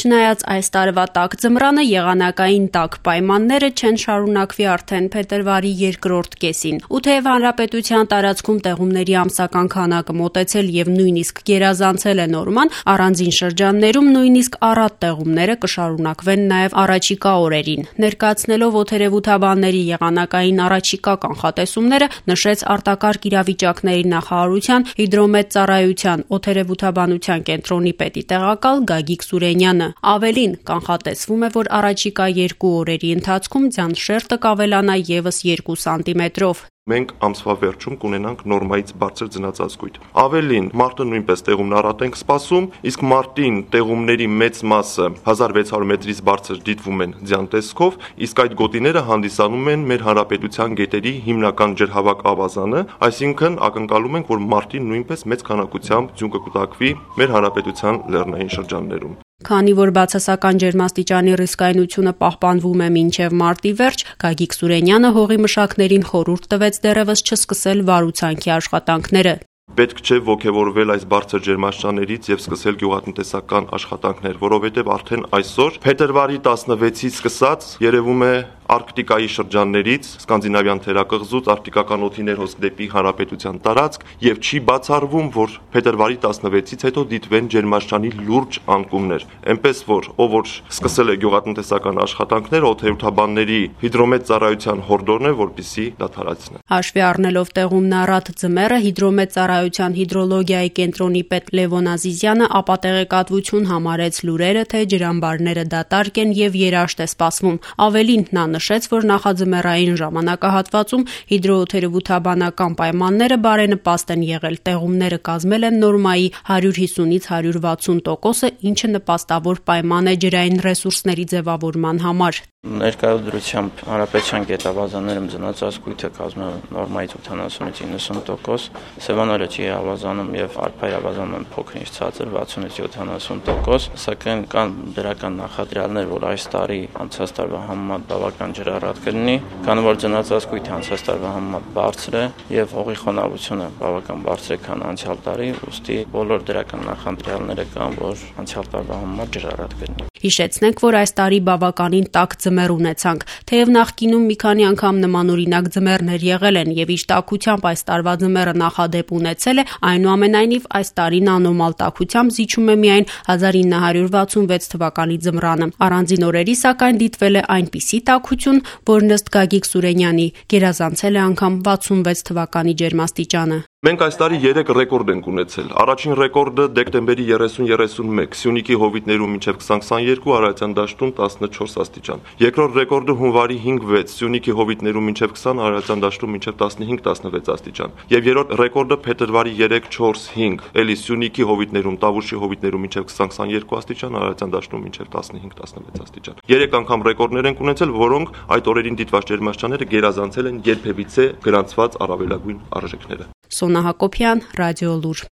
Չնայած այս տարվա տաք ձմռանը, եղանակային տաք պայմանները չեն շարունակվի արդեն փետրվարի երկրորդ կեսին։ Ու թեև հանրապետության տարածքում տեղումների ամսական քանակը մոտեցել եւ նույնիսկ գերազանցել է նորման, առանձին շրջաններում նույնիսկ առատ տեղումները կշարունակվեն նաեւ առաջիկա օրերին։ Ներկայացնելով օդերևութաբանների եղանակային առաջիկա կանխատեսումները, նշեց արտակարգ իրավիճակների նախարարության հիդրոմետծառայության օդերևութաբանության կենտրոնի պետի տեղակալ Գագիկ Սուրենյանը։ Ավելին, կանխատեսվում է, որ առաջիկա 2 օրերի ընթացքում ձյան շերտը կավելանա եւս 2 սանտիմետրով։ Մենք ամսվա վերջում կունենանք նորմայից բարձր ձնածածկույթ։ Ավելին, մարտը նույնպես տեղումն առատ ենք սպասում, իսկ մարտին տեղումների մեծ մասը 1600 մետրից բարձր դիտվում են ձյան տեսքով, իսկ այդ գոտիները հանդիսանում են մեր հանրապետության գետերի հիմնական ջրհավաք ավազանը, այսինքն ակնկալում ենք, որ մարտին նույնպես մեծ քանակությամբ ձյուն կկուտակվի մեր հանրապետության լեռնային շրջաններում։ Քանի որ բացասական ջերմաստիճանի ռիսկայնությունը պահպանվում է մինչև մարտի վերջ, Գագիկ Սուրենյանը հողի մշակներին խորհուրդ տվեց դեռևս չսկսել վարուցանքի աշխատանքները։ Պետք չէ ոգևորվել այս բարձր ջերմաստիճաններից եւ սկսել գյուղատնտեսական աշխատանքներ, որովհետեւ արդեն այսօր փետրվարի 16-ից սկսած երևում է Արկտիկայի շրջաններից, Սկանդինավյան թերակղզուց արկտիկական օդի ներհոսք դեպի հանրապետության տարածք եւ չի բացառվում, որ փետրվարի 16-ից հետո դիտվեն ջերմաստիճանի լուրջ անկումներ։ Էնպես որ ով որ սկսել է գյուղատնտեսական աշխատանքներ, օդերևութաբանների հիդրոմետծառայության հորդորն է, որպեսզի դադարեցնեն։ Հաշվի առնելով տեղումն առատ ձմեռը, հիդրոմետծառայության հիդրոլոգիայի կենտրոնի պետ Լևոն Ազիզյանը ապատեղեկատվություն համարեց լուրերը, թե ջրամբարները դատարկ են եւ երաշտ է սպասվում։ Ավելին, նա նշեց, որ նախաձմեռային ժամանակահատվածում հիդրոօդերևութաբանական պայմանները բարենպաստ են եղել, տեղումները կազմել են նորմայի 150-ից 160%, ինչը նպաստավոր պայման է ջրային ռեսուրսների ձևավորման համար։ Ներկայությամբ հանրապետության գետավազաններում ձնածածկույթը կազմում է նորմայից 80-ից 90%, Սևանորը չի ավազանում եւ Արփայի ավազանում փոքր-ինչ ցածր 60-ից 70%, սակայն կան դրական նախադրյալներ, որ այս տարի անցած տարվա համեմատ բավական ջրառատ կլինի, քանի որ ձնածածկույթը անցած տարվա համեմատ բարձր է եւ հողի խոնավությունը բավական բարձր է, քան անցյալ տարի, ուստի բոլոր դրական նախադրյալները կան, որ անցյալ տարվա համեմատ ջրառատ կլինի։ Հիշեցնենք, որ այս տարի բավականին տաք ձմեռ ունեցանք, թեև նախկինում մի քանի անգամ նմանօրինակ ձմեռներ եղել են եւ իշ տաքությամբ այս տարվա ձմեռը նախադեպ ունեցել է, այնուամենայնիվ այս տարին անոմալ տաքությամբ զիջում է միայն 1966 թվականի ձմռանը։ Առանձին օրերի սակայն դիտվել է այնպիսի տաքություն, որ ըստ Գագիկ Սուրենյանի գերազանցել է անգամ 66 թվականի ջերմաստիճանը։ Մենք այս տարի 3 ռեկորդ ենք ունեցել։ Առաջին ռեկորդը դեկտեմբերի 30-31, Սյունիքի հովիտներում մինչև 20-22, Արարատյան դաշտում 14 աստիճան։ Երկրորդ ռեկորդը հունվարի 5-6, Սյունիքի հովիտներում մինչև 20, Արարատյան դաշտում մինչև 15-16 աստիճան։ Եվ երրորդ ռեկորդը փետրվարի 3-4-5, էլի Սյունիքի հովիտներում, Տավուշի հովիտներում մինչև 20-22 աստիճան, Արարատյան դաշտում մինչև 15-16 աստիճան։ 3 անգամ ռեկորդներ ենք ունեցել, որոնք այդ օրերին դիտված ջերմաստիճանները գերազանցել են երբևիցե գրանցված առավելագույն արժեքները։ Սոնա Հակոբյան, Ռադիոլուր։